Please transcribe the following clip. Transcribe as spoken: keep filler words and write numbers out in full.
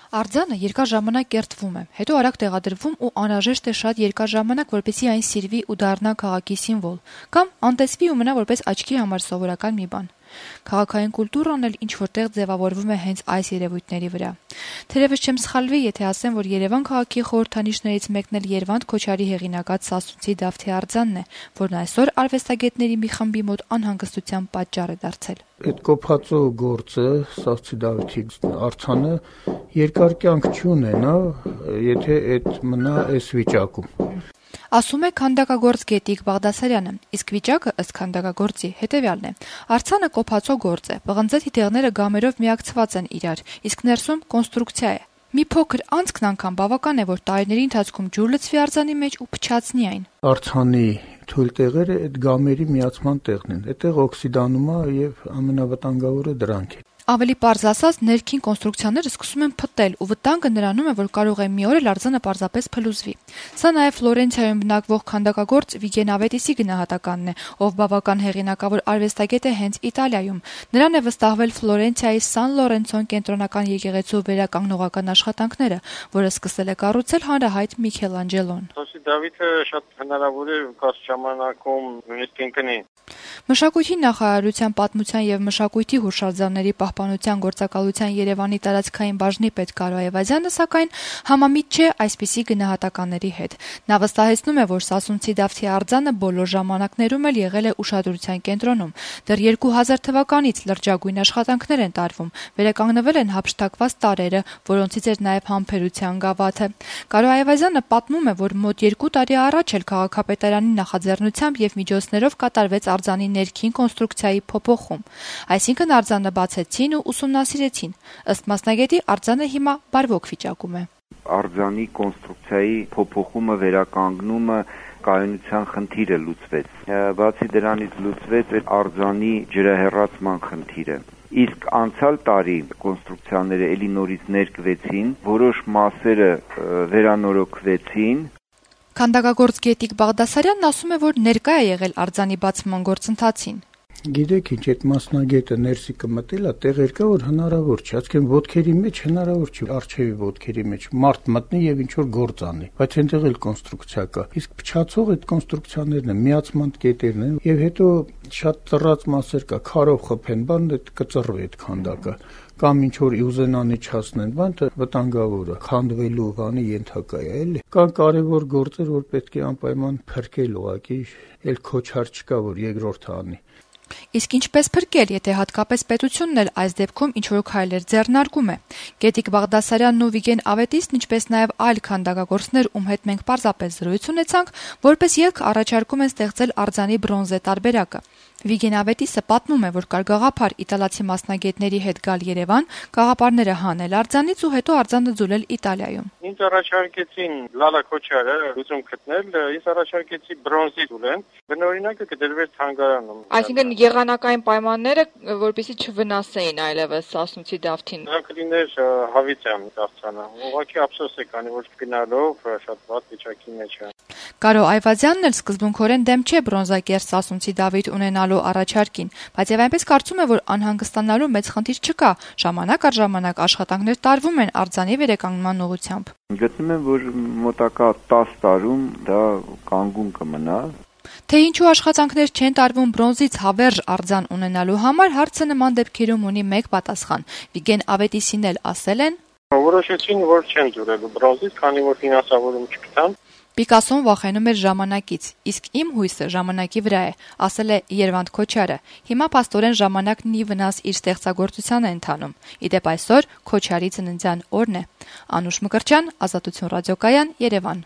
Արձանը երկար ժամանակ կերտվում է, հետո արագ տեղադրվում ու անհրաժեշտ է շատ երկար ժամանակ, որպեսզի այն սիրվի ու դառնա քաղաքի սիմվոլ, կամ անտեսվի ու մնա որպես աչքի համար սովորական մի բան։ Քաղաքային կուլտուրան էլ ինչ-որ տեղ ձևավորվում է հենց այս երևույթների վրա։ Թերևս չեմ սխալվի, եթե ասեմ, որ Երևան քաղաքի խորհրդանիշներից մեկն էլ Երվանդ Քոչարի հեղինակած Սասունցի Դավթի արձանն է, որն այսօր արվեստագետների մի խմբի մոտ անհանգստության պատճառ է դարձել։ Այդ կոփածո գործը, Սասունցի Դավթի արձանը երկար կյանք չունենա, եթե այդ մնա այս վիճակում։ Ասում է քանդակագործ Գետիկ Բաղդասարյանը, իսկ վիճակը ըստ քանդակագործի հետևյալն է. արձանը կոփածո գործ է, պղնձե թիթեղները գամերով միակցված են իրար, իսկ ներսում կոնստրուկցիա է։ Մի փոքր անցքն անգամ բավական է, որ տարիների ընթացքում ջուր լցվի արձանի մեջ ու փչացնի այն։ Արձանի թույլ տեղերը այդ գամերի միացման տեղն են, այդտեղ օքսիդանում է եւ ամենավտանգավորը դրանք է։ Ավելի պարզ ասած, ներքին կոնստրուկցիաները սկսում են փտտել ու վտանգը նրանում է, որ կարող է մի օր էլ արձանը պարզապես փլուզվի։ Սա նաև Ֆլորենցիայում բնակվող քանդակագործ Վիգեն Ավետիսի գնահատականն է, ով բավական հեղինակավոր արվեստագետ է հենց Իտալիայում։ Նրան է վստահվել Ֆլորենցիայի Սան Լորենցոն կենտրոնական եկեղեցու վերականգնողական աշխատանքները, որը սկսել է կառուցել հանրահայտ Միքելանջելոն։ Սասունցի Դավիթը շատ հնարավոր է կարճ ժամանակում նույնիսկ կընկնի։ Մշակույթի նախարարության պատմության եւ մշակույթի հուշարձանների պահպանության գործակալության Երևանի տարածքային բաժնի պետ Կարո Այվազյանը սակայն համամիտ չէ այսպիսի գնահատականների հետ։ Նա վստահեցնում է, որ Սասունցի Դավթի արձանը բոլոր ժամանակներում էլ եղել է ուշադրության կենտրոնում։ Դեռ երկու հազար թվականից լրջագույն աշխատանքներ են տարվում, վերականգնվել են հափշտակված տարրերը, որոնցից էր նաեւ համբերության գավաթը։ Կարո Այվազյանը պատմում է, որ մոտ երկու տարի առաջ էլ քաղաքապետարանի նախաձեռնությամբ եւ միջոցներով կատարվեց արձանի ներքին կոնստրուկցիայի փոփոխում։ Այսինքն արձանը բացեցին ու ուսումնասիրեցին։ Ըստ մասնագետի արձանը հիմա բարվոք վիճակում է։ Արձանի կոնստրուկցիայի փոփոխումը, վերականգնումը կայունության խնդիրը լուծվեց։ Բացի դրանից լուծվեց այդ արձանի ջրահեռացման խնդիրը։ Իսկ անցյալ տարի կոնստրուկցիաները էլի նորից ներկվեցին, որոշ մասերը վերանորոգվեցին։ Քանդակագործ Գետիկ Բաղդասարյանն ասում է, որ ներկա է եղել արձանի բացման գործընթացին։ Գիտեք ինչ, այդ մասնագետը ներսի կմտել է, տեղեր կա, որ հնարավոր չէ, ասկեն ոտքերի մեջ հնարավոր չէ, արչեւի ոտքերի մեջ մարդ մտնի եւ ինչ որ գործ անի, բայց այնտեղ էլ կոնստրուկցիա կա։ Իսկ փչացող այդ կոնստրուկցիաներն են, միացման կետերն են, եւ հետո շատ ծռած մասեր կա, քարով խփեն, բան այդ կծռվի այդ քանդակը, կամ ինչ որ ուզենան իջացնեն, բան վտանգավոր է, քանդվելու բանի ենթակա է, էլի։ Կան կարևոր գործեր, որ պետք է անպայման փրկել ուղղակի, էլ Քոչար չկա, որ երկրորդը անի։ Իսկ ինչպես փրկել, եթե հատկապես պետությունն էլ այս դեպքում ինչ-որ քայլեր ձեռնարկում է։ Գետիկ Բաղդասարյանն ու Վիգեն Ավետիսն, ինչպես նաև այլ քանդակագործներ, ում հետ մենք պարզապես զրույց ունեցանք, որպես ելք առաջարկում են ստեղծել արձանի բրոնզե տարբերակը։ Վիգեն Ավետիսը պատմում է, որ կար գաղափար իտալացի մասնագետների հետ գալ Երևան, գաղափարները հանել արձանից ու հետո արձանը ձուլել Իտալիայում։ Ինձ առաջարկեցին Լալա Քոչարը լուծում գտնել, ես առաջարկեցի բրոնզի ձուլեն, բնօրինակը կդրվեր թանգարանում։ Այսինքն եղանակային պայմանները, որպեսզի չվնասեին այլևս Սասունցի Դավթին։ Դա կլիներ հավիտյան արձանը։ Ուղղակի ափսոս է, քանի որ գնալով շատ վատ վիճակի մեջ է։ Կարո Այվազյանն էլ սկզբունքորեն դեմ չէ բրոնզակերտ Սասունցի Դավիթ ունենալու առաջարկին, բայց եւ այնպես կարծում է, որ անհանգստանալու մեծ խնդիր չկա, ժամանակ առ ժամանակ աշխատանքներ տարվում են արձանի վերականգնման ուղղությամբ։ Գտնում եմ, որ մոտակա տասը տարում դա կանգուն կմնա։ Թե ինչու աշխատանքներ չեն տարվում բրոնզից հավերժ արձան ունենալու համար, հարցը նման դեպքերում ունի մեկ պատասխան։ Վիգեն Ավետիսին էլ ասել են. Որոշեցին, որ չեն ձուլելու բրոնզից, քանի որ ֆինանսավորում չգտան։ Պիկասոն վախենում էր ժամանակից, իսկ իմ հույսը ժամանակի վրա է, ասել է Երվանդ Քոչարը։ Հիմա փաստորեն ժամանակն ի վնաս իր ստեղծագործության է ընթանում։ Իդեպ այսօր Քոչարի ծննդյան օրն է։ Անուշ Մկրտչյան, Ազատություն ռադիոկայան, Երևան։